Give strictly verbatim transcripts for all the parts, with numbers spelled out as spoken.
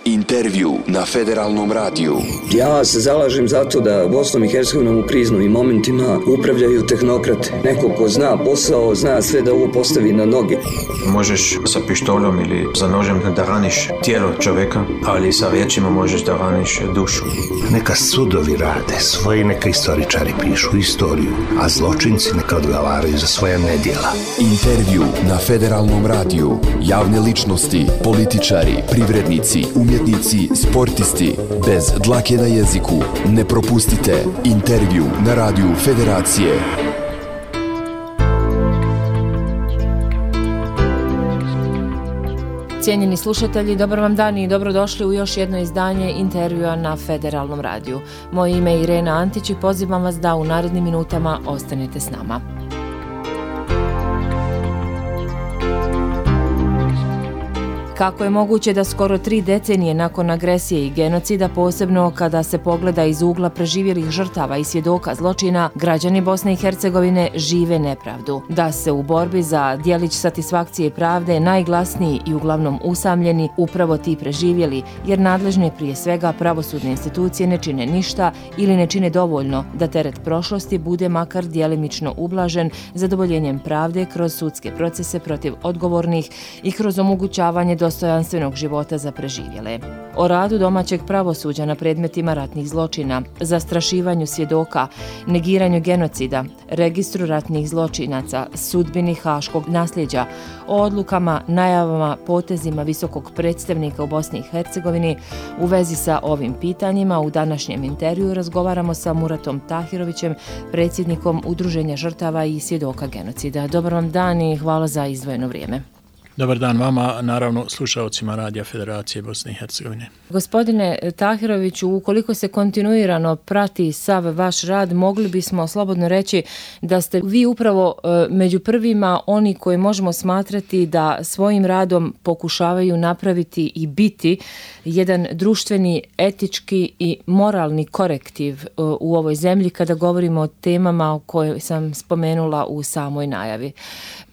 Intervju na Federalnom radiju. Ja se zalažem za to da Bosnom i Hercegovinom u kriznim momentima upravljaju tehnokrate. Neko ko zna posao, zna sve da ovo postavi na noge. Možeš sa pištoljom ili za nožem da raniš tijelo čovjeka, ali sa riječima možeš da raniš dušu. Neka sudovi rade svoje, neka istoričari pišu istoriju, a zločinci neka odgovaraju za svoja nedjela. Intervju na Federalnom radiju. Javne ličnosti, političari, privrednici, umjetnici, sportisti. Bez dlake na jeziku. Ne propustite Intervju na radiju Federacije. Cijenjeni slušatelji, dobar vam dan i dobrodošli u još jedno izdanje Intervjua na Federalnom radiju. Moje ime je Irena Antić i pozivam vas da u narednim minutama ostanete s nama. Kako je moguće da skoro tri decenije nakon agresije i genocida, posebno kada se pogleda iz ugla preživjelih žrtava i svjedoka zločina, građani Bosne i Hercegovine žive nepravdu? Da se u borbi za djelić satisfakcije i pravde najglasniji i uglavnom usamljeni upravo ti preživjeli, jer nadležne prije svega pravosudne institucije ne čine ništa ili ne čine dovoljno da teret prošlosti bude makar djelimično ublažen zadovoljenjem pravde kroz sudske procese protiv odgovornih i kroz omogućavanje dostojanstvenog života za preživjele. O radu domaćeg pravosuđa na predmetima ratnih zločina, zastrašivanju svjedoka, negiranju genocida, registru ratnih zločinaca, sudbini haškog nasljeđa, o odlukama, najavama, potezima visokog predstavnika u Bosni i Hercegovini. U vezi sa ovim pitanjima u današnjem intervju razgovaramo sa Muratom Tahirovićem, predsjednikom Udruženja žrtava i svjedoka genocida. Dobar vam dan i hvala za izdvojeno vrijeme. Dobar dan vama, naravno slušalcima Radija Federacije Bosne i Hercegovine. Gospodine Tahiroviću, ukoliko se kontinuirano prati sav vaš rad, mogli bismo slobodno reći da ste vi upravo među prvima oni koji možemo smatrati da svojim radom pokušavaju napraviti i biti jedan društveni, etički i moralni korektiv u ovoj zemlji kada govorimo o temama koje sam spomenula u samoj najavi.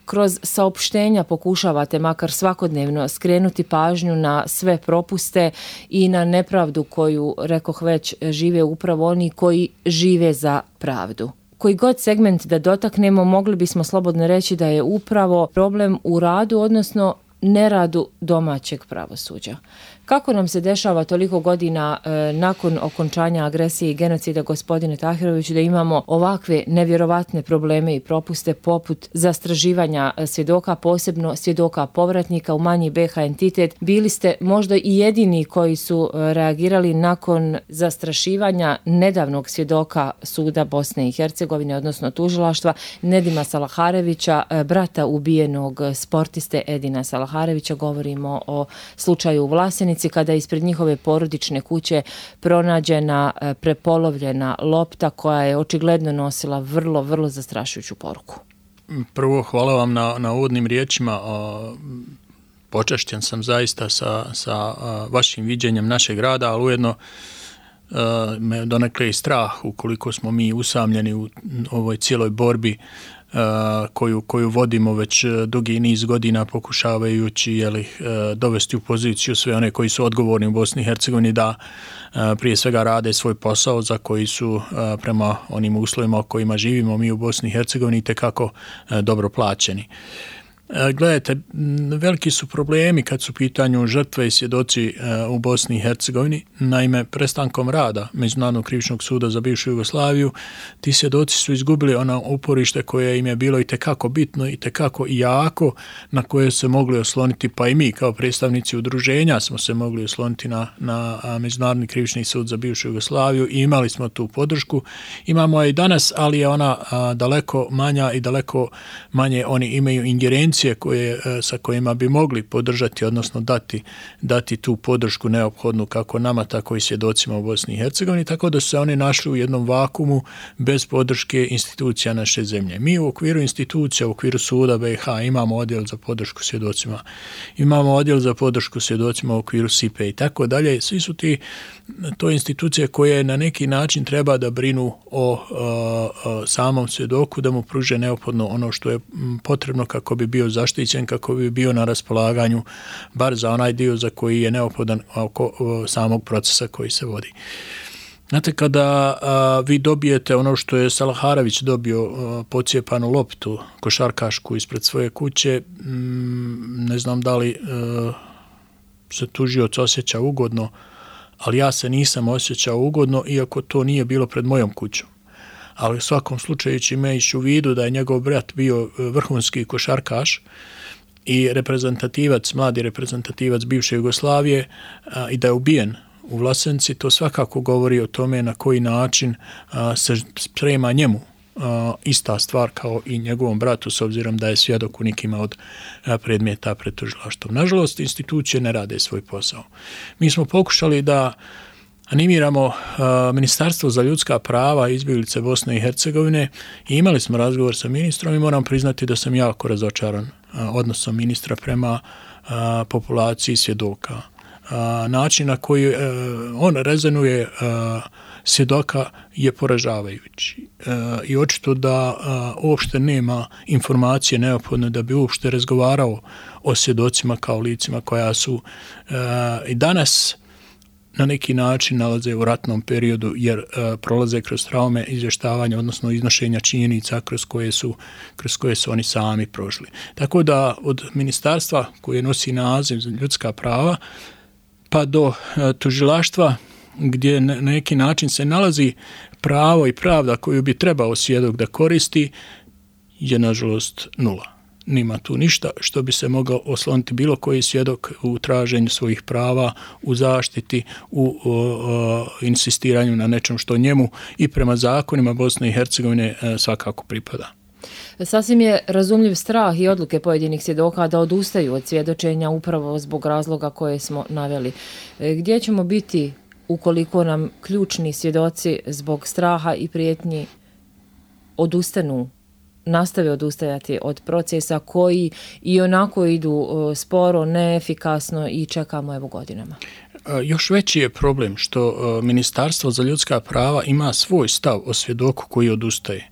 Kroz saopštenja pokušavate makar svakodnevno skrenuti pažnju na sve propuste i na nepravdu koju, rekoh već, žive upravo oni koji žive za pravdu. Koji god segment da dotaknemo, mogli bismo slobodno reći da je upravo problem u radu, odnosno neradu domaćeg pravosuđa. Kako nam se dešava toliko godina e, nakon okončanja agresije i genocida, gospodine Tahiroviću, da imamo ovakve nevjerovatne probleme i propuste poput zastraživanja svjedoka, posebno svjedoka povratnika u manji B H entitet? Bili ste možda i jedini koji su reagirali nakon zastrašivanja nedavnog svjedoka suda Bosne i Hercegovine, odnosno tužilaštva, Nedima Salaharevića, brata ubijenog sportiste Edina Salaharevića. Govorimo o slučaju u Vlasenici, kada je ispred njihove porodične kuće pronađena prepolovljena lopta koja je očigledno nosila vrlo, vrlo zastrašujuću poruku. Prvo, hvala vam na, na uvodnim riječima. Počašćen sam zaista sa, sa vašim viđenjem našeg rada, ali ujedno me donekle i strah ukoliko smo mi usamljeni u ovoj cijeloj borbi koju, koju vodimo već dugi niz godina pokušavajući jeli, dovesti u poziciju sve one koji su odgovorni u Bosni i Hercegovini da prije svega rade svoj posao za koji su prema onim uslovima u kojima živimo mi u Bosni i Hercegovini tekako dobro plaćeni. Gledajte, veliki su problemi kad su u pitanju žrtve i svjedoci u Bosni i Hercegovini. Naime, prestankom rada Međunarodnog krivičnog suda za bivšu Jugoslaviju, ti svjedoci su izgubili ono uporište koje im je bilo i tekako bitno i tekako jako, na koje se mogli osloniti, pa i mi kao predstavnici udruženja smo se mogli osloniti na, na Međunarodni krivični sud za bivšu Jugoslaviju i imali smo tu podršku. Imamo je i danas, ali je ona a, daleko manja i daleko manje oni imaju ingerencije koje, sa kojima bi mogli podržati, odnosno dati, dati tu podršku neophodnu kako nama, tako i svjedocima u Bosni i Hercegovini, tako da su se oni našli u jednom vakumu bez podrške institucija naše zemlje. Mi u okviru institucija, u okviru suda B H imamo odjel za podršku svjedocima, imamo odjel za podršku svjedocima u okviru S I P E i tako dalje. Svi su ti to institucije koje na neki način treba da brinu o, o, o samom svjedoku, da mu pruže neophodno ono što je potrebno kako bi bio zaštićen kako bi bio na raspolaganju bar za onaj dio za koji je neophodan oko samog procesa koji se vodi. Znate, kada a, vi dobijete ono što je Salaharević dobio, a, pocijepanu loptu košarkašku ispred svoje kuće, m, ne znam da li a, se tužioc osjeća ugodno, ali ja se nisam osjećao ugodno, iako to nije bilo pred mojom kućom. Ali u svakom slučaju imajući u vidu da je njegov brat bio vrhunski košarkaš i reprezentativac, mladi reprezentativac bivše Jugoslavije a, i da je ubijen u Vlasenci, to svakako govori o tome na koji način a, se sprema njemu a, ista stvar kao i njegovom bratu, s obzirom da je svjedok u nikima od a, predmeta pred tužilaštvom. Nažalost, institucije ne rade svoj posao. Mi smo pokušali da animiramo a, Ministarstvo za ljudska prava i izbjeglice Bosne i Hercegovine i imali smo razgovor sa ministrom i moram priznati da sam jako razočaran a, odnosom ministra prema a, populaciji svjedoka. A, način na koji a, on rezonuje a, svjedoka je poražavajući. A, I očito da a, uopšte nema informacije neophodne da bi uopšte razgovarao o svjedocima kao licima koja su a, i danas na neki način nalaze u ratnom periodu jer uh, prolaze kroz traume izvještavanja, odnosno iznošenja činjenica kroz koje su, kroz koje su oni sami prošli. Tako da od ministarstva koje nosi naziv za ljudska prava pa do uh, tužilaštva gdje na neki način se nalazi pravo i pravda koju bi trebao svjedok da koristi je nažalost nula. Nima tu ništa što bi se mogao osloniti bilo koji svjedok u traženju svojih prava, u zaštiti, u o, o, insistiranju na nečem što njemu i prema zakonima Bosne i Hercegovine e, svakako pripada. Sasvim je razumljiv strah i odluke pojedinih svjedoka da odustaju od svjedočenja upravo zbog razloga koje smo naveli. E, gdje ćemo biti ukoliko nam ključni svjedoci zbog straha i prijetnji odustanu, nastave odustajati od procesa koji i onako idu sporo, neefikasno i čekamo evo godinama? Još veći je problem što Ministarstvo za ljudska prava ima svoj stav o svjedoku koji odustaje.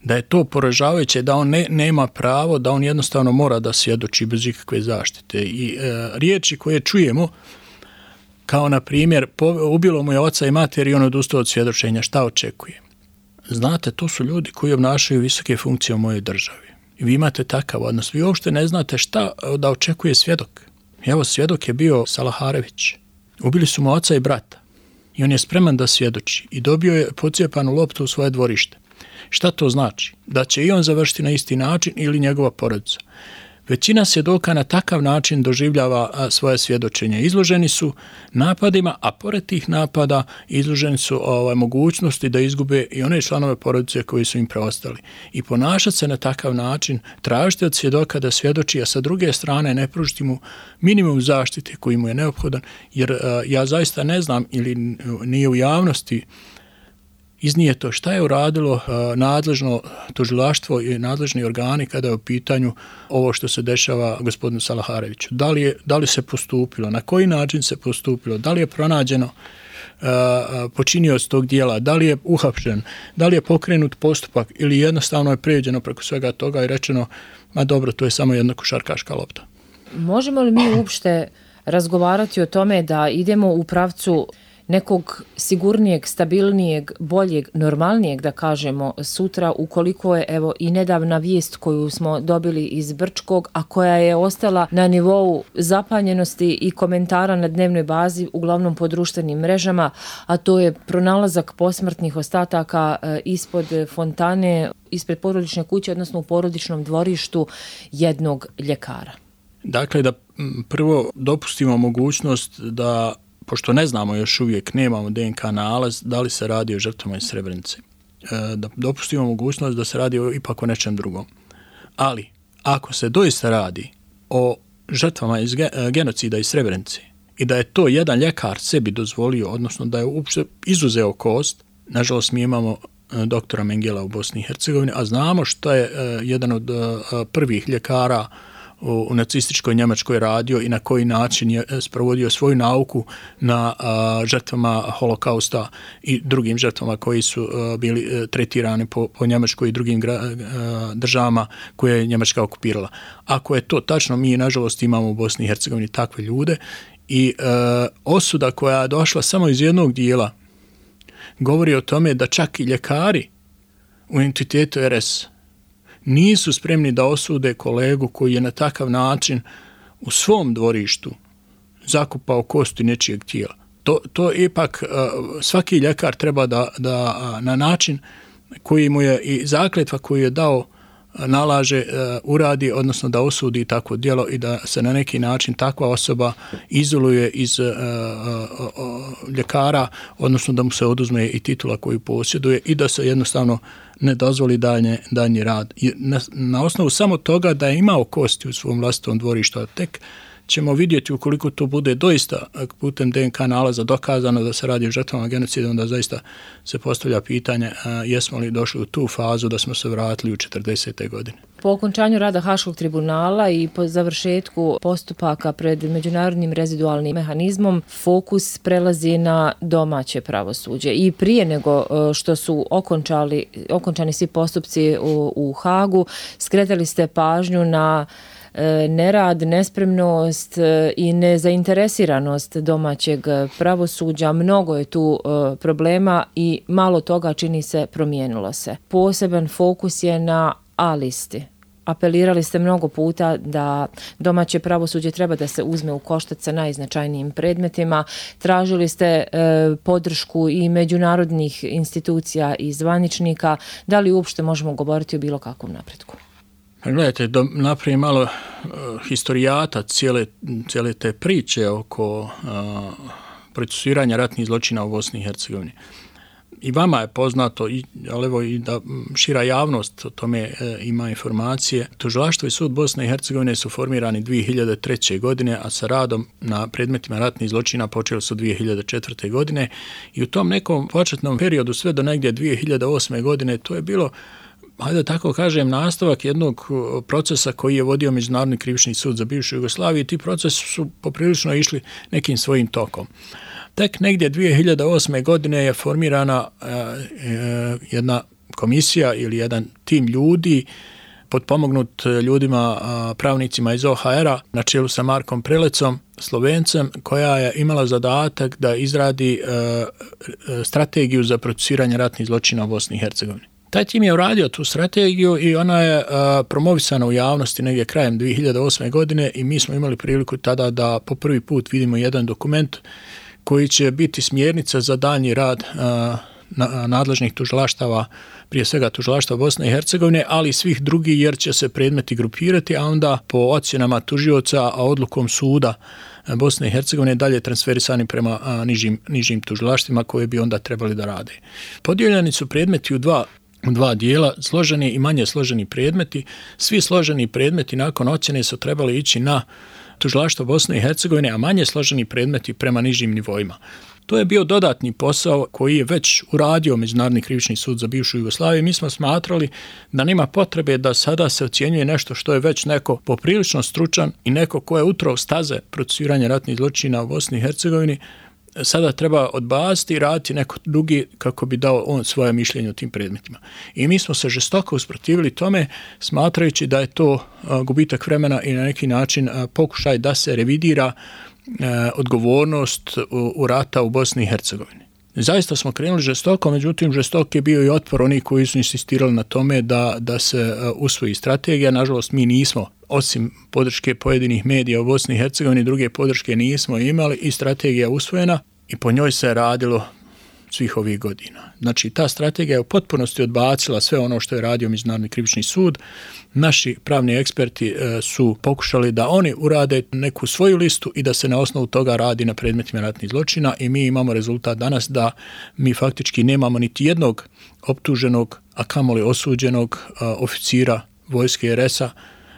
Da je to poražavajuće, da on ne, nema pravo, da on jednostavno mora da svjedoči bez ikakve zaštite. I e, riječi koje čujemo, kao na primjer, ubilo mu je oca i mater i on odustao od svjedočenja, šta očekuje? Znate, to su ljudi koji obnašaju visoke funkcije u mojoj državi. I vi imate takav odnos. Vi uopšte ne znate šta da očekuje svjedok. Evo, svjedok je bio Salaharević. Ubili su mu oca i brata. I on je spreman da svjedoči. I dobio je pocijepanu loptu u svoje dvorište. Šta to znači? Da će i on završiti na isti način ili njegova porodica. Većina svjedoka na takav način doživljava svoje svjedočenje. Izloženi su napadima, a pored tih napada izloženi su ovaj, mogućnosti da izgube i one članove porodice koji su im preostali. I ponašati se na takav način, tražiti od svjedoka da svjedoči, a sa druge strane ne pružiti mu minimum zaštite koji mu je neophodan, jer uh, ja zaista ne znam ili nije u javnosti iznijeto šta je uradilo uh, nadležno tužilaštvo i nadležni organi kada je u pitanju ovo što se dešava gospodinu Salahareviću. Da li, je, da li se postupilo, na koji način se postupilo, da li je pronađeno uh, počinioc tog dijela, da li je uhapšen, da li je pokrenut postupak ili jednostavno je prijeđeno preko svega toga i rečeno, ma dobro, to je samo jedna košarkaška lopta. Možemo li mi uopšte razgovarati o tome da idemo u pravcu nekog sigurnijeg, stabilnijeg, boljeg, normalnijeg, da kažemo, sutra, ukoliko je evo i nedavna vijest koju smo dobili iz Brčkog, a koja je ostala na nivou zapanjenosti i komentara na dnevnoj bazi, uglavnom po društvenim mrežama, a to je pronalazak posmrtnih ostataka ispod fontane, ispred porodične kuće, odnosno u porodičnom dvorištu jednog ljekara. Dakle, da prvo dopustimo mogućnost da, pošto ne znamo još uvijek, nemamo D N K nalaz, da li se radi o žrtvama iz Srebrenice. Da dopustimo mogućnost da se radi o, ipak o nečem drugom. Ali, ako se doista radi o žrtvama iz genocida iz Srebrenice i da je to jedan ljekar sebi dozvolio, odnosno da je uopšte izuzeo kost, nažalost mi imamo doktora Mengela u Bosni i Hercegovini, a znamo što je jedan od prvih ljekara u, u nacističkoj Njemačkoj radio i na koji način je sprovodio svoju nauku na a, žrtvama holokausta i drugim žrtvama koji su a, bili a, tretirani po, po Njemačkoj i drugim gra, a, državama koje je Njemačka okupirala. Ako je to tačno, mi nažalost imamo u Bosni i Hercegovini takve ljude i a, osuda koja je došla samo iz jednog dijela govori o tome da čak i ljekari u entitetu er es nisu spremni da osude kolegu koji je na takav način u svom dvorištu zakupao kosti nečijeg tijela. To, to ipak svaki ljekar treba da, da na način koji mu je i zakletva koju je dao nalaže uh, uradi, odnosno da osudi takvo djelo i da se na neki način takva osoba izoluje iz uh, uh, uh, ljekara, odnosno da mu se oduzme i titula koju posjeduje i da se jednostavno ne dozvoli dalje, dalji rad. I na, na osnovu samo toga da je imao kosti u svom vlastitom dvorištu, a tek ćemo vidjeti ukoliko to bude doista putem de en ka nalaza dokazano da se radi o žrtvama genocida, onda zaista se postavlja pitanje a, jesmo li došli u tu fazu da smo se vratili u četrdesete godine. Po okončanju rada Haškog tribunala i po završetku postupaka pred međunarodnim rezidualnim mehanizmom, fokus prelazi na domaće pravosuđe. I prije nego što su okončali, okončani svi postupci u, u Hagu, skretali ste pažnju na nerad, nespremnost i nezainteresiranost domaćeg pravosuđa. Mnogo je tu problema i malo toga čini se promijenilo se. Poseban fokus je na A listi. Apelirali ste mnogo puta da domaće pravosuđe treba da se uzme u koštac sa najznačajnijim predmetima. Tražili ste e, podršku i međunarodnih institucija i zvaničnika. Da li uopšte možemo govoriti o bilo kakvom napretku? Gledajte, da napravim malo uh, historijata cijele, cijele te priče oko uh, procesuiranja ratnih zločina u Bosni i Hercegovini. I vama je poznato, i, ali evo i da šira javnost o tome e, ima informacije. Tužilaštvo i sud Bosne i Hercegovine su formirani dvije hiljade treće. godine, a sa radom na predmetima ratnih zločina počeli su dvije hiljade četvrte. godine i u tom nekom početnom periodu sve do negdje dvije hiljade osme. godine to je bilo, hajde tako kažem, nastavak jednog procesa koji je vodio Međunarodni krivični sud za bivšu Jugoslaviju i ti procesi su poprilično išli nekim svojim tokom. Tek negdje dvije hiljade osme. godine je formirana e, e, jedna komisija ili jedan tim ljudi potpomognut ljudima, a, pravnicima iz o ha era na čelu sa Markom Prelecom, Slovencem, koja je imala zadatak da izradi e, strategiju za procesuiranje ratnih zločina u Bosni i Hercegovini. Taj tim je uradio tu strategiju i ona je a, promovisana u javnosti negdje krajem dvije hiljade osme. godine i mi smo imali priliku tada da po prvi put vidimo jedan dokument koji će biti smjernica za daljnji rad a, na, nadležnih tužilaštava, prije svega tužilaštva Bosne i Hercegovine, ali i svih drugih jer će se predmeti grupirati, a onda po ocjenama tužioca, a odlukom suda Bosne i Hercegovine dalje transferisani prema a, nižim, nižim tužilaštvima koje bi onda trebali da rade. Podijeljeni su predmeti u dva u dva dijela, složeni i manje složeni predmeti. Svi složeni predmeti nakon ocjene su trebali ići na tužilaštvo Bosne i Hercegovine, a manje složeni predmeti prema nižim nivoima. To je bio dodatni posao koji je već uradio Međunarodni krivični sud za bivšu Jugoslaviju. Mi smo smatrali da nema potrebe da sada se ocjenjuje nešto što je već neko poprilično stručan i neko ko je utrao staze procesuiranja ratnih zločina u Bosni i Hercegovini, sada treba odbaciti i raditi neko drugi kako bi dao on svoje mišljenje o tim predmetima. I mi smo se žestoko usprotivili tome, smatrajući da je to gubitak vremena i na neki način pokušaj da se revidira odgovornost u rata u Bosni i Hercegovini. Zaista smo krenuli žestoko, međutim žestok je bio i otpor onih koji su insistirali na tome da, da se usvoji strategija. Nažalost, mi nismo, osim podrške pojedinih medija u Bosni i Hercegovini, druge podrške nismo imali i strategija usvojena i po njoj se radilo svih ovih godina. Znači, ta strategija je u potpunosti odbacila sve ono što je radio Međunarodni krivični sud. Naši pravni eksperti e, su pokušali da oni urade neku svoju listu i da se na osnovu toga radi na predmetima ratnih zločina i mi imamo rezultat danas da mi faktički nemamo niti jednog optuženog, a kamoli osuđenog a, oficira vojske er es a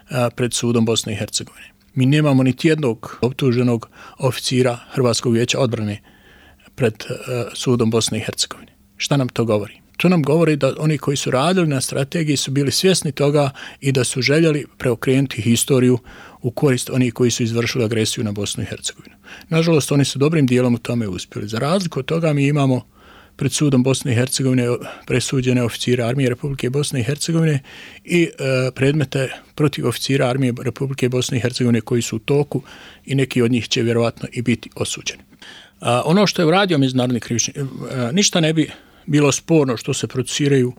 a, pred sudom Bosne i Hercegovine. Mi nemamo niti jednog optuženog oficira Hrvatskog vijeća odbrane pred uh, sudom Bosne i Hercegovine. Šta nam to govori? To nam govori da oni koji su radili na strategiji su bili svjesni toga i da su željeli preokrenuti historiju u korist onih koji su izvršili agresiju na Bosnu i Hercegovinu. Nažalost, oni su dobrim dijelom u tome uspjeli. Za razliku od toga mi imamo pred sudom Bosne i Hercegovine presuđene oficire armije Republike Bosne i Hercegovine i e, predmete protiv oficira armije Republike Bosne i Hercegovine koji su u toku i neki od njih će vjerovatno i biti osuđeni. A, ono što je uradio Međunarodni krivični, a, ništa ne bi bilo sporno što se procesiraju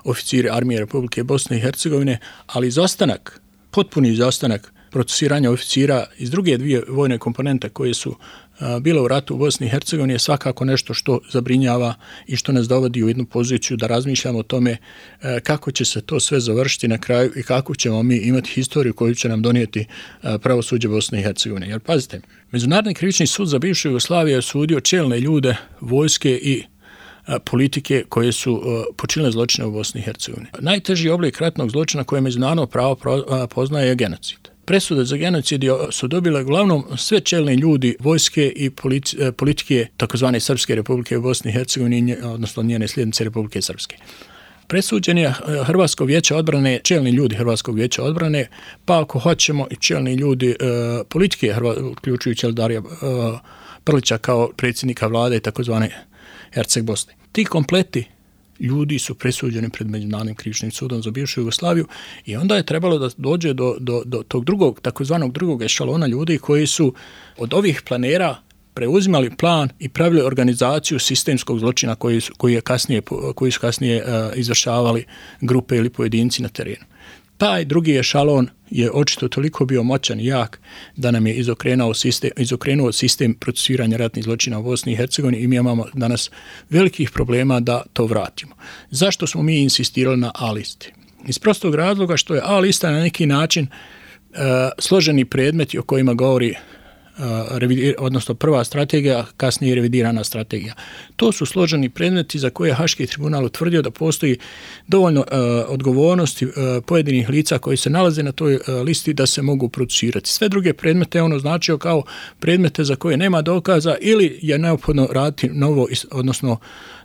oficiri armije Republike Bosne i Hercegovine, ali izostanak, potpuni izostanak procesiranja oficira iz druge dvije vojne komponente koje su a, bile u ratu u Bosni i Hercegovini je svakako nešto što zabrinjava i što nas dovodi u jednu poziciju da razmišljamo o tome a, kako će se to sve završiti na kraju i kako ćemo mi imati historiju koju će nam donijeti a, pravosuđe Bosne i Hercegovine. Jer pazite, Međunarodni krivični sud za bivšu Jugoslaviju je osudio čelne ljude vojske i politike koje su počinile zločine u Bosni i Hercegovini. Najteži oblik ratnog zločina koje međunarodno pravo poznaje je genocid. Presude za genocid su dobile uglavnom sve čelni ljudi vojske i politike takozvane Srpske republike u Bosni i Hercegovini, odnosno njene slijednice Republike Srpske. Presuđen je Hrvatsko vijeće odbrane, čelni ljudi Hrvatskog vijeća odbrane, pa ako hoćemo i čelni ljudi politike, uključujući Eldarija Prlića kao predsjednika vlade i takozvane Herceg Bosne. Ti kompleti ljudi su presuđeni pred Međunarodnim krivičnim sudom za bivšu Jugoslaviju i onda je trebalo da dođe do, do, do tog drugog, takozvanog drugog ešalona ljudi koji su od ovih planera preuzimali plan i pravili organizaciju sistemskog zločina koji su, koji je kasnije, koji su kasnije uh, izvršavali grupe ili pojedinci na terenu. Taj drugi ešalon je očito toliko bio moćan i jak da nam je izokrenuo sistem, izokrenuo sistem procesuiranja ratnih zločina u Bosni i Hercegovini i mi imamo danas velikih problema da to vratimo. Zašto smo mi insistirali na A listi? Iz prostog razloga što je A lista na neki način uh, složeni predmeti o kojima govori Revidir, odnosno prva strategija, kasnije revidirana strategija. To su složeni predmeti za koje je Haški tribunal utvrdio da postoji dovoljno uh, odgovornosti uh, pojedinih lica koji se nalaze na toj uh, listi da se mogu procesirati. Sve druge predmete on označio kao predmete za koje nema dokaza ili je neophodno raditi novo, odnosno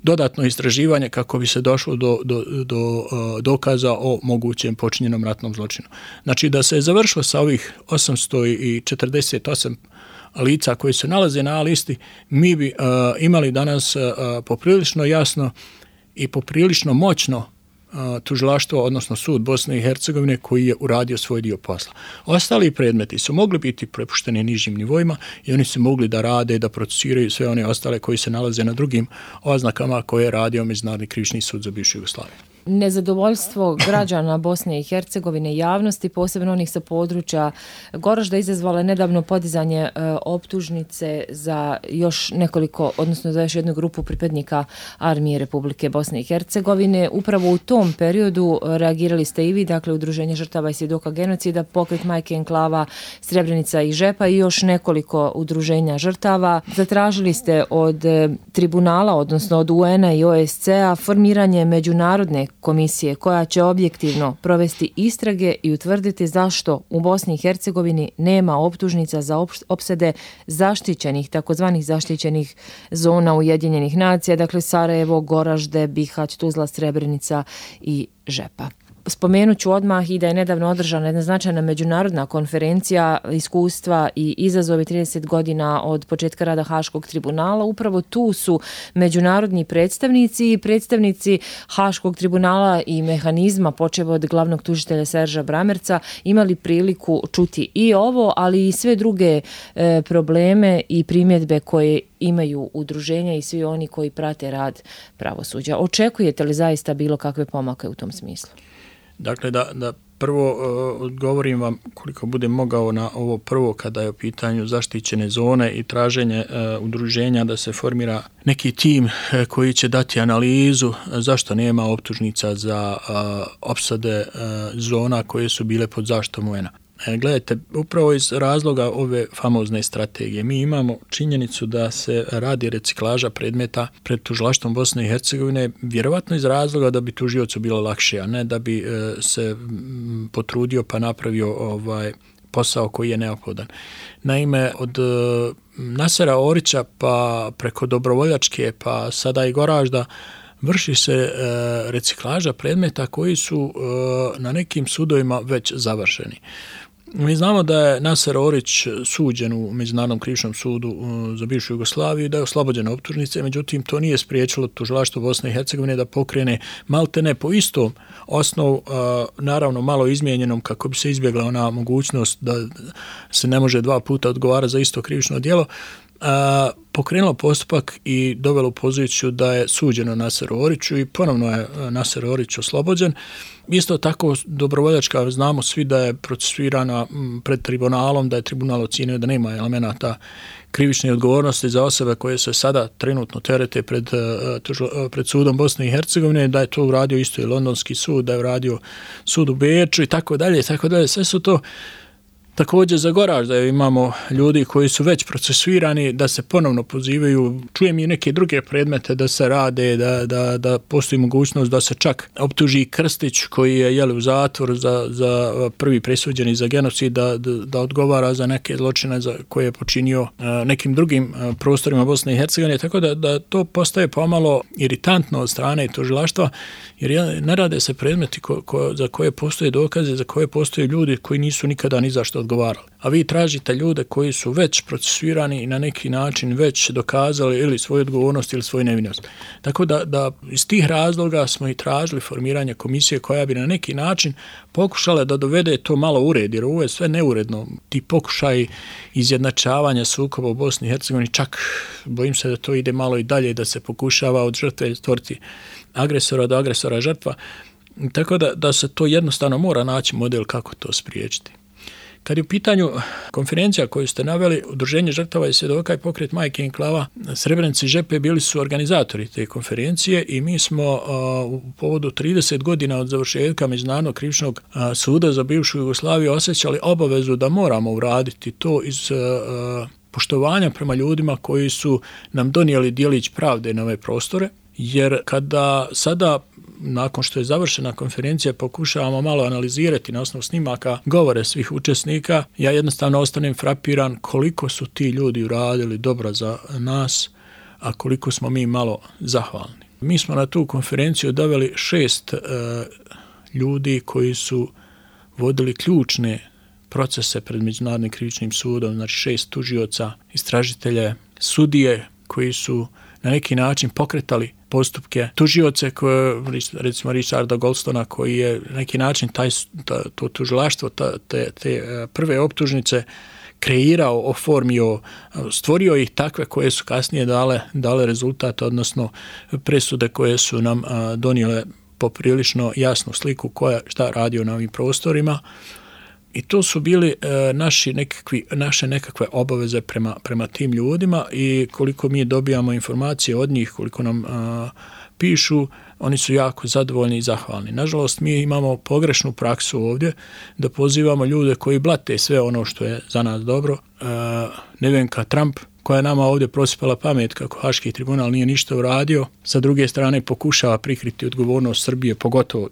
dodatno istraživanje kako bi se došlo do, do, do uh, dokaza o mogućem počinjenom ratnom zločinu. Znači da se je završilo sa ovih osamsto četrdeset osam lica koji se nalaze na A listi, mi bi uh, imali danas uh, poprilično jasno i poprilično moćno uh, tužilaštvo, odnosno sud Bosne i Hercegovine koji je uradio svoj dio posla. Ostali predmeti su mogli biti prepušteni nižim nivoima i oni su mogli da rade, da procesiraju sve one ostale koji se nalaze na drugim oznakama koje je radio Međunarodni krivični sud za bivšu Jugoslaviju. Nezadovoljstvo građana Bosne i Hercegovine i javnosti, posebno onih sa područja Goražda, izazvalo je nedavno podizanje e, optužnice za još nekoliko, odnosno za još jednu grupu pripadnika armije Republike Bosne i Hercegovine. Upravo u tom periodu reagirali ste i vi, dakle Udruženje žrtava i svjedoka genocida, Pokret Majke Enklava, Srebrenica i Žepa i još nekoliko udruženja žrtava. Zatražili ste od e, tribunala, odnosno od U N-a i O S C-a formiranje međunarodne komisije koja će objektivno provesti istrage i utvrditi zašto u Bosni i Hercegovini nema optužnica za opsade zaštićenih, takozvanih zaštićenih zona Ujedinjenih nacija, dakle Sarajevo, Goražde, Bihać, Tuzla, Srebrenica i Žepa. Spomenut ću odmah i da je nedavno održana jedna značajna međunarodna konferencija iskustva i izazovi trideset godina od početka rada Haškog tribunala. Upravo tu su međunarodni predstavnici i predstavnici Haškog tribunala i mehanizma, počev od glavnog tužitelja Serža Bramerca, imali priliku čuti i ovo, ali i sve druge e, probleme i primjedbe koje imaju udruženja i svi oni koji prate rad pravosuđa. Očekujete li zaista bilo kakve pomake u tom smislu? Dakle, da, da prvo uh, odgovorim vam koliko budem mogao na ovo prvo kada je u pitanju zaštićene zone i traženje uh, udruženja da se formira neki tim uh, koji će dati analizu uh, zašto nema optužnica za uh, opsade uh, zona koje su bile pod zaštitom U N-a. Gledajte, upravo iz razloga ove famozne strategije mi imamo činjenicu da se radi reciklaža predmeta pred tužilaštvom Bosne i Hercegovine, vjerovatno iz razloga da bi tužiocu bilo lakše, a ne da bi e, se potrudio pa napravio ovaj posao koji je neophodan. Naime, od e, Nasera Orića pa preko Dobrovoljačke pa sada i Goražda vrši se e, reciklaža predmeta koji su e, na nekim sudovima već završeni. Mi znamo da je Naser Orić suđen u Međunarodnom krivičnom sudu za bivšu Jugoslaviju, da je oslobođen optužnice, međutim to nije spriječilo tužilaštvo Bosne i Hercegovine da pokrene maltene po istom osnovu, naravno malo izmijenjenom kako bi se izbjegla ona mogućnost da se ne može dva puta odgovara za isto krivično djelo, pokrenulo postupak i dovelo u poziciju da je suđeno Naseru Oriću i ponovno je Naser Orić oslobođen. Isto tako dobrovoljačka, znamo svi da je procesuirana pred tribunalom, da je tribunal ocijenio da nema elemenata krivične odgovornosti za osobe koje se sada trenutno terete pred, pred sudom Bosne i Hercegovine, da je to uradio isto i Londonski sud, da je uradio sud u Beču i tako dalje, i tako dalje. Sve su to također za Goraž, da imamo ljudi koji su već procesuirani, da se ponovno pozivaju. Čujem i neke druge predmete da se rade, da, da, da postoji mogućnost da se čak optuži Krstić koji je jeli, u zatvoru za, za prvi presuđeni za genocid, da, da, da odgovara za neke zločine za koje je počinio a, nekim drugim a, prostorima Bosne i Hercegovine. Tako da, da to postaje pomalo iritantno od strane tužilaštva, jer ne rade se predmeti ko, ko, za koje postoje dokaze, za koje postoje ljudi koji nisu nikada ni za što odgovarali. A vi tražite ljude koji su već procesuirani i na neki način već dokazali ili svoju odgovornost ili svoju nevinost. Tako da, da iz tih razloga smo i tražili formiranje komisije koja bi na neki način pokušala da dovede to malo u red, jer ovo je sve neuredno. Ti pokušaj izjednačavanja sukoba u Bosni i Hercegovini, čak bojim se da to ide malo i dalje, da se pokušava od žrtve stvoriti agresora do agresora žrtva. Tako da, da se to jednostavno mora naći model kako to spriječiti. Kad je u pitanju konferencija koju ste naveli, Udruženje žrtava i svjedoka i pokret Majke Enklava Srebrenice i Žepe bili su organizatori te konferencije i mi smo a, u povodu trideset godina od završetka Međunarodnog krivičnog a, suda za bivšu Jugoslaviju osjećali obavezu da moramo uraditi to iz a, poštovanja prema ljudima koji su nam donijeli djelić pravde na ove prostore, jer kada sada nakon što je završena konferencija pokušavamo malo analizirati na osnovu snimaka govore svih učesnika, ja jednostavno ostanem frapiran koliko su ti ljudi uradili dobro za nas, a koliko smo mi malo zahvalni. Mi smo na tu konferenciju doveli šest e, ljudi koji su vodili ključne procese pred Međunarodnim krivičnim sudom, znači šest tužioca, istražitelje, sudije koji su na neki način pokretali postupke, tužioce koje, recimo Richarda Goldstona koji je na neki način taj, ta, to tužilaštvo, ta, te, te prve optužnice kreirao, oformio, stvorio ih takve koje su kasnije dale, dale rezultat, odnosno presude koje su nam a, donijele poprilično jasnu sliku koja šta radio na ovim prostorima. I to su bili e, naši nekakvi, naše nekakve obaveze prema, prema tim ljudima i koliko mi dobijamo informacije od njih, koliko nam a, pišu, oni su jako zadovoljni i zahvalni. Nažalost, mi imamo pogrešnu praksu ovdje da pozivamo ljude koji blate sve ono što je za nas dobro. E, Nevenka Trump, koja je nama ovdje prosipala pamet kako Haški tribunal nije ništa uradio, sa druge strane pokušava prikriti odgovornost Srbije, pogotovo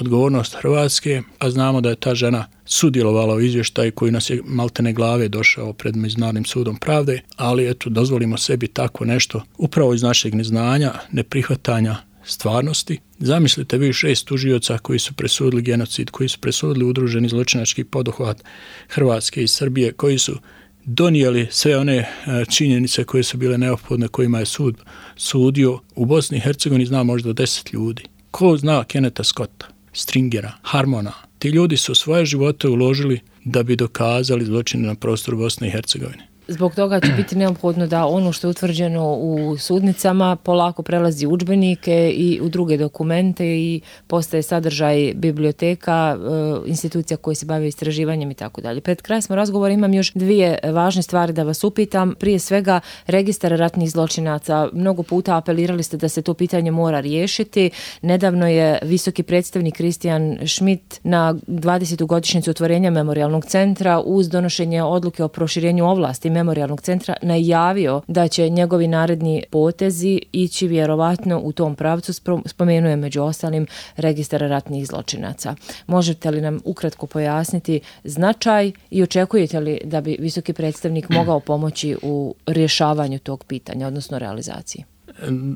odgovornost Hrvatske, a znamo da je ta žena sudjelovala u izvještaju koji nas je maltene glave došao pred Međunarodnim sudom pravde, ali eto, dozvolimo sebi tako nešto upravo iz našeg neznanja, neprihvatanja stvarnosti. Zamislite vi šest tužioca koji su presudili genocid, koji su presudili udruženi zločinački poduhvat Hrvatske i Srbije, koji su donijeli sve one činjenice koje su bile neophodne, kojima je sud sudio. U Bosni i Hercegovini zna možda deset ljudi. Ko zna Kenneta Scotta, Stringera, Harmona? Ti ljudi su svoje živote uložili da bi dokazali zločine na prostoru Bosne i Hercegovine. Zbog toga će biti neophodno da ono što je utvrđeno u sudnicama polako prelazi u udžbenike i u druge dokumente i postaje sadržaj biblioteka, institucija koje se bave istraživanjem i tako dalje. Pred kraj smo razgovora, imam još dvije važne stvari da vas upitam. Prije svega, registar ratnih zločinaca. Mnogo puta apelirali ste da se to pitanje mora riješiti. Nedavno je visoki predstavnik Kristijan Schmidt na dvadesetu godišnjicu otvorenja Memorijalnog centra uz donošenje odluke o proširenju ovlasti Memorijalnog centra najavio da će njegovi naredni potezi ići vjerovatno u tom pravcu. Spomenuje među ostalim registar ratnih zločinaca. Možete li nam ukratko pojasniti značaj i očekujete li da bi visoki predstavnik mogao pomoći u rješavanju tog pitanja, odnosno realizaciji?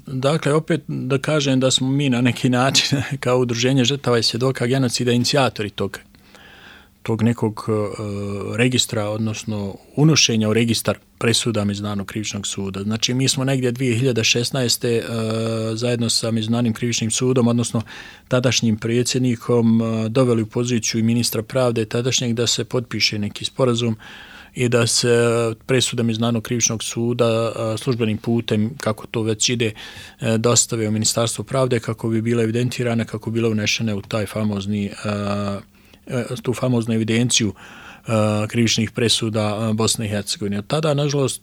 Dakle, opet da kažem da smo mi na neki način kao udruženje žrtava i svjedoka genocida inicijatori tog, tog nekog uh, registra, odnosno unošenja u registar presuda Međunarodnog krivičnog suda. Znači, mi smo negdje dvije hiljade šesnaeste. Uh, zajedno sa Međunarodnim krivičnim sudom, odnosno tadašnjim predsjednikom, uh, doveli u poziciju i ministra pravde tadašnjeg da se potpiše neki sporazum i da se presuda Međunarodnog krivičnog suda službenim putem, kako to već ide, dostave u Ministarstvo pravde kako bi bile evidentirane, kako bi bile unešene u taj famozni, tu famoznu evidenciju krivičnih presuda Bosne i Hercegovine. Od tada, nažalost,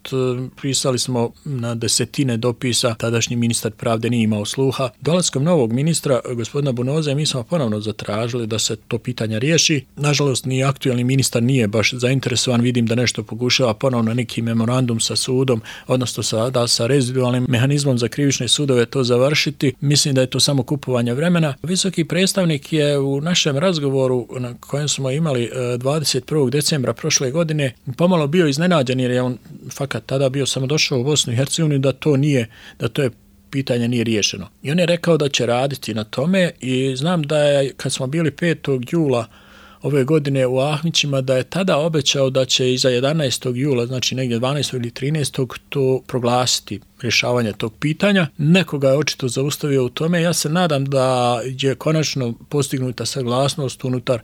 pisali smo na desetine dopisa, tadašnji ministar pravde nije imao sluha. Dolaskom novog ministra, gospodina Bunoze, mi smo ponovno zatražili da se to pitanje riješi. Nažalost, ni aktualni ministar nije baš zainteresovan, vidim da nešto pokušava ponovno neki memorandum sa sudom, odnosno sa, da sa rezidualnim mehanizmom za krivične sudove to završiti. Mislim da je to samo kupovanje vremena. Visoki predstavnik je u našem razgovoru na kojem smo imali dvadeset prvog decembra prošle godine pomalo bio iznenađen, jer je on fakat tada bio samo došao u Bosnu i Hercegovinu, da to nije, da to je pitanje nije riješeno. I on je rekao da će raditi na tome i znam da je, kad smo bili petog jula ove godine u Ahmićima, da je tada obećao da će iza jedanaestog jula, znači negdje dvanaestog ili trinaestog to proglasiti rješavanje tog pitanja. Nekoga je očito zaustavio u tome. Ja se nadam da je konačno postignuta saglasnost unutar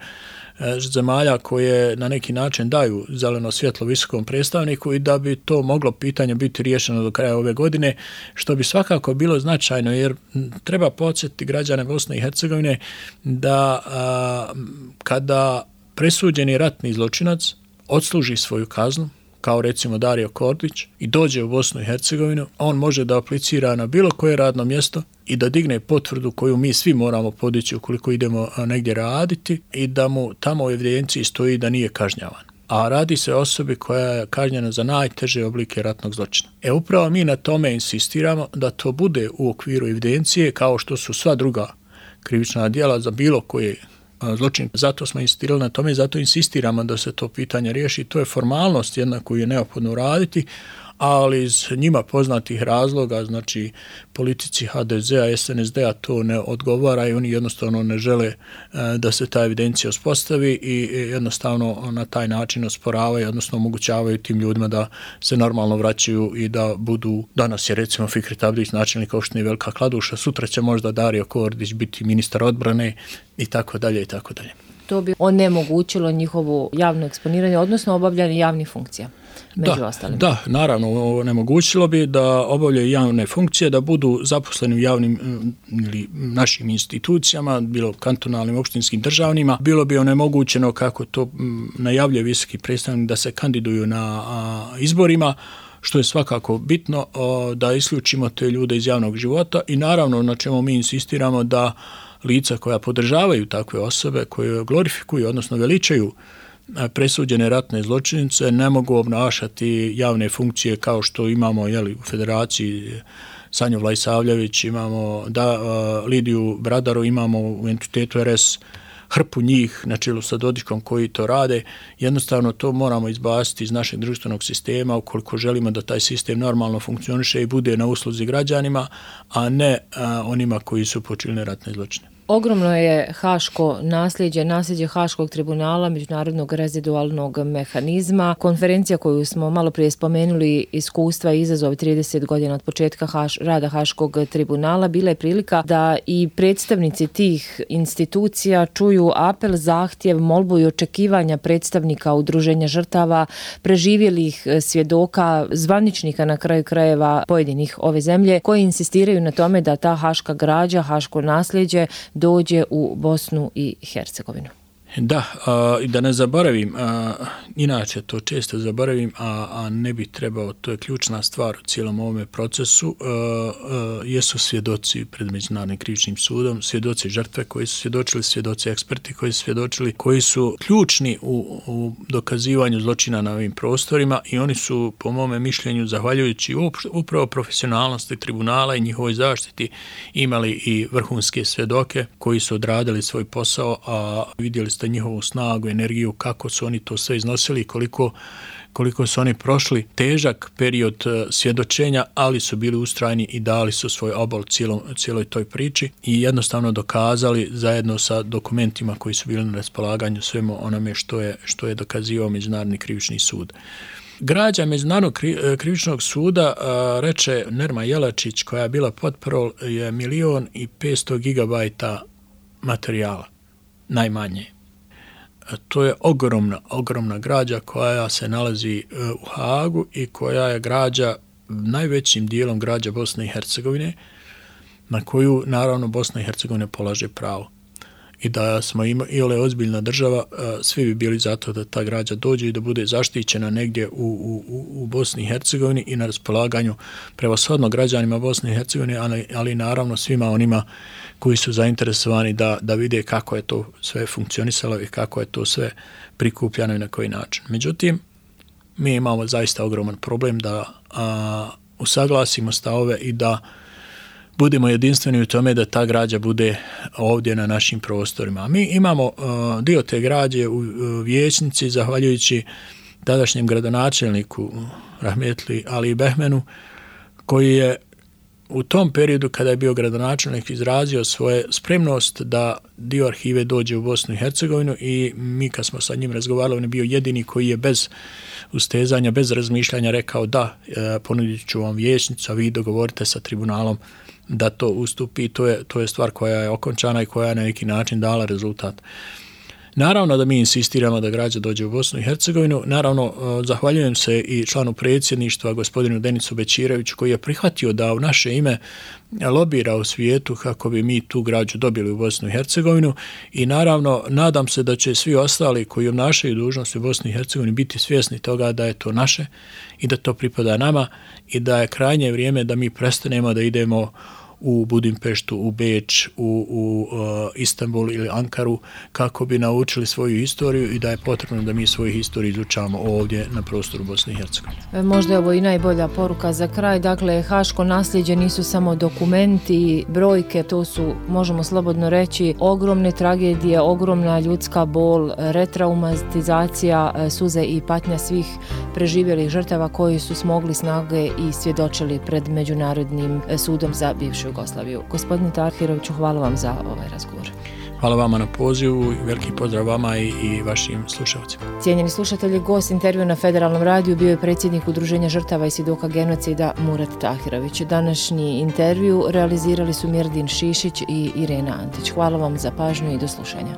zemalja koje na neki način daju zeleno svjetlo visokom predstavniku i da bi to moglo pitanje biti riješeno do kraja ove godine, što bi svakako bilo značajno, jer treba podsjetiti građane Bosne i Hercegovine da a, kada presuđeni ratni zločinac odsluži svoju kaznu, kao recimo Dario Kordić, i dođe u Bosnu i Hercegovinu, on može da aplicira na bilo koje radno mjesto i da digne potvrdu koju mi svi moramo podići ukoliko idemo negdje raditi i da mu tamo u evidenciji stoji da nije kažnjavan. A radi se o osobi koja je kažnjena za najteže oblike ratnog zločina. E upravo mi na tome insistiramo da to bude u okviru evidencije kao što su sva druga krivična djela za bilo koje zločin. Zato smo insistirali na tome i zato insistiramo da se to pitanje riješi. To je formalnost jedna koju je neophodno uraditi, ali iz njima poznatih razloga, znači politici ha de zea, es en es de a to ne odgovara i oni jednostavno ne žele da se ta evidencija uspostavi i jednostavno na taj način osporavaju, odnosno omogućavaju tim ljudima da se normalno vraćaju i da budu, danas je recimo Fikret Abdić načelnik opštine Velika Kladuša, sutra će možda Dario Kordić biti ministar odbrane i tako dalje i tako dalje. To bi onemogućilo njihovo javno eksponiranje, odnosno obavljanje javnih funkcija. Među da, ostalim. Da, naravno, onemogućilo bi da obavljaju javne funkcije, da budu zaposleni u javnim ili našim institucijama, bilo kantonalnim, opštinskim, državnima. Bilo bi onemogućeno, kako to najavljuje visoki predstavnik, da se kandiduju na a, izborima, što je svakako bitno, a, da isključimo te ljude iz javnog života i naravno na čemu mi insistiramo da lica koja podržavaju takve osobe, koje glorifikuju, odnosno veličaju presuđene ratne zločinice, ne mogu obnašati javne funkcije kao što imamo jeli, u Federaciji Sanju Vlajsavljević, imamo da, uh, Lidiju Bradaru, imamo u entitetu er es hrpu njih na čelu sa Dodikom koji to rade. Jednostavno to moramo izbaciti iz našeg društvenog sistema ukoliko želimo da taj sistem normalno funkcioniše i bude na usluzi građanima, a ne a, onima koji su počinili ratne zločine. Ogromno je haško nasljeđe, nasljeđe Haškog tribunala, međunarodnog rezidualnog mehanizma. Konferencija koju smo malo prije spomenuli, iskustva i izazov trideset godina od početka haš, rada Haškog tribunala, bila je prilika da i predstavnici tih institucija čuju apel, zahtjev, molbu i očekivanja predstavnika udruženja žrtava, preživjelih svjedoka, zvaničnika na kraju krajeva pojedinih ove zemlje, koji insistiraju na tome da ta haška građa, haško nasljeđe dođe u Bosnu i Hercegovinu. Da, i da ne zaboravim, a, inače to često zaboravim, a, a ne bi trebao, to je ključna stvar u cijelom ovome procesu, a, a, jesu svjedoci pred Međunarodnim krivičnim sudom, svjedoci žrtve koji su svjedočili, svjedoci eksperti koji su svjedočili, koji su ključni u, u dokazivanju zločina na ovim prostorima i oni su, po mome mišljenju, zahvaljujući upravo profesionalnosti tribunala i njihovoj zaštiti, imali i vrhunske svjedoke koji su odradili svoj posao, a vidjeli ste njihovu snagu, energiju, kako su oni to sve iznosili, koliko, koliko su oni prošli težak period svjedočenja, ali su bili ustrajni i dali su svoj obol cijelom, cijeloj toj priči i jednostavno dokazali zajedno sa dokumentima koji su bili na raspolaganju svemu onome što je, što je dokazivao Međunarodni krivični sud. Građa Međunarodnog krivičnog suda, reče Nerma Jelačić, koja je bila potparol, je milion i petsto gigabajta materijala, najmanje. To je ogromna, ogromna građa koja se nalazi u Hagu i koja je građa najvećim dijelom građa Bosne i Hercegovine, na koju naravno Bosna i Hercegovina polaže pravo. I da smo imali ozbiljna država, svi bi bili zato da ta građa dođe i da bude zaštićena negdje u, u, u Bosni i Hercegovini i na raspolaganju prevashodno građanima Bosne i Hercegovine, ali, ali naravno svima onima koji su zainteresovani da, da vide kako je to sve funkcionisalo i kako je to sve prikupljano i na koji način. Međutim, mi imamo zaista ogroman problem da a, usaglasimo stavove i da budemo jedinstveni u tome da ta građa bude ovdje na našim prostorima. Mi imamo uh, dio te građe u uh, vijećnici, zahvaljujući tadašnjem gradonačelniku Rahmetli Ali Behmenu, koji je u tom periodu kada je bio gradonačelnik izrazio svoje spremnost da dio arhive dođe u Bosnu i Hercegovinu i mi kad smo sa njim razgovarali, on je bio jedini koji je bez ustezanja, bez razmišljanja rekao da, e, ponudit ću vam vijećnicu, a vi dogovorite sa tribunalom da to ustupi. To je, to je stvar koja je okončana i koja je na neki način dala rezultat. Naravno da mi insistiramo da građa dođe u Bosnu i Hercegovinu. Naravno, zahvaljujem se i članu predsjedništva, gospodinu Denisu Bećireviću, koji je prihvatio da u naše ime lobira u svijetu kako bi mi tu građu dobili u Bosnu i Hercegovinu i naravno nadam se da će svi ostali koji obnašaju dužnost u Bosni i Hercegovini biti svjesni toga da je to naše i da to pripada nama i da je krajnje vrijeme da mi prestanemo da idemo u Budimpeštu, u Beč, u, u uh, Istanbul ili Ankaru kako bi naučili svoju historiju i da je potrebno da mi svoju historiju izučavamo ovdje na prostoru Bosne i Hercegovine. Možda je ovo i najbolja poruka za kraj. Dakle, haško nasljeđe nisu samo dokumenti, brojke, to su, možemo slobodno reći, ogromne tragedije, ogromna ljudska bol, retraumatizacija, suze i patnja svih preživjelih žrtava koji su smogli snage i svjedočili pred Međunarodnim sudom za bivšu Jugoslaviju. Gospodine Tahiroviću, hvala vam za ovaj razgovor. Hvala vama na pozivu i veliki pozdrav vama i, i vašim slušalcima. Cijenjeni slušatelji, gost intervju na Federalnom radiju bio je predsjednik Udruženja žrtava i svjedoka genocida Murat Tahirović. Današnji intervju realizirali su Mirdin Šišić i Irena Antić. Hvala vam za pažnju i do slušanja.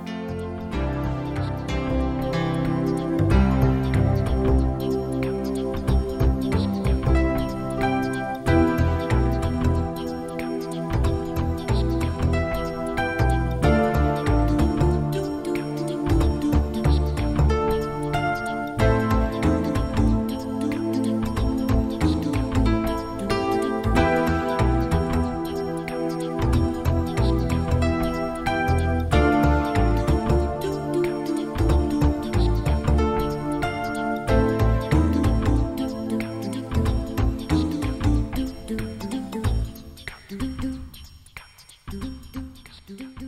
Do